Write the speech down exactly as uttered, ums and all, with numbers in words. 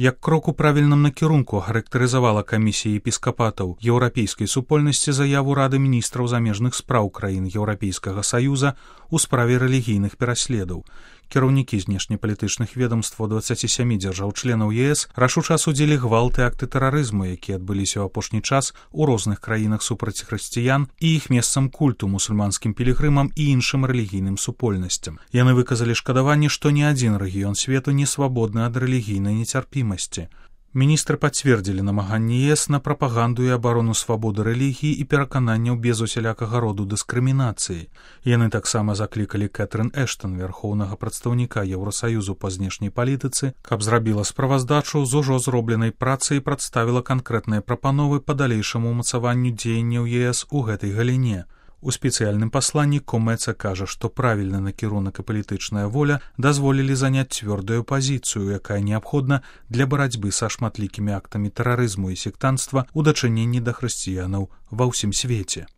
Як крок у правільным накірунку характарызавала камісія епіскапатаў еўрапейскай супольнасці заяву Рады міністраў замежных спраў краін Еўрапейскага Саюза у справе рэлігійных пераследаў. Кіраўнікі знешнепалітычных ведомстваў дваццаці сямі дзяржаў-членаў ЕС рашуча асудзілі гвалт і акты тэрарызму, якія адбыліся ў апошні час у розных краінах супраць хрысціян і іх месцам культу мусульманскім пілігрымам і іншым рэлігійным супольнасцям. Яны выказалі шкадаванне, што ні адзін рэгіён свету не свабодны ад рэлігійнай нецярпімасці. Міністры пацвердзілі намаганні ЕС на прапаганду і абарону свабоды рэлігіі і перакананняў без усялякага роду дыскрымінацыі. Яны таксама заклікалі Кэтрын Эштон, вярхоўнага прадстаўніка Еўрасаюзу па знешняй палітыцы, каб зрабіла справаздачу з ужо зробленай працы і прадставіла канкрэтныя прапановы па далейшаму ўмацаванню дзеянняў ЕС у гэтай галіне. У спецыяльным пасланні Комэца кажа, што правільны накірунак і палітычная воля дазволілі заняць цвёрдую пазіцыю, якая неабходна для барацьбы са шматлікімі актамі тэрарызму і сектанства ў дачыненні да хрысціянаў ва ўсім свеце.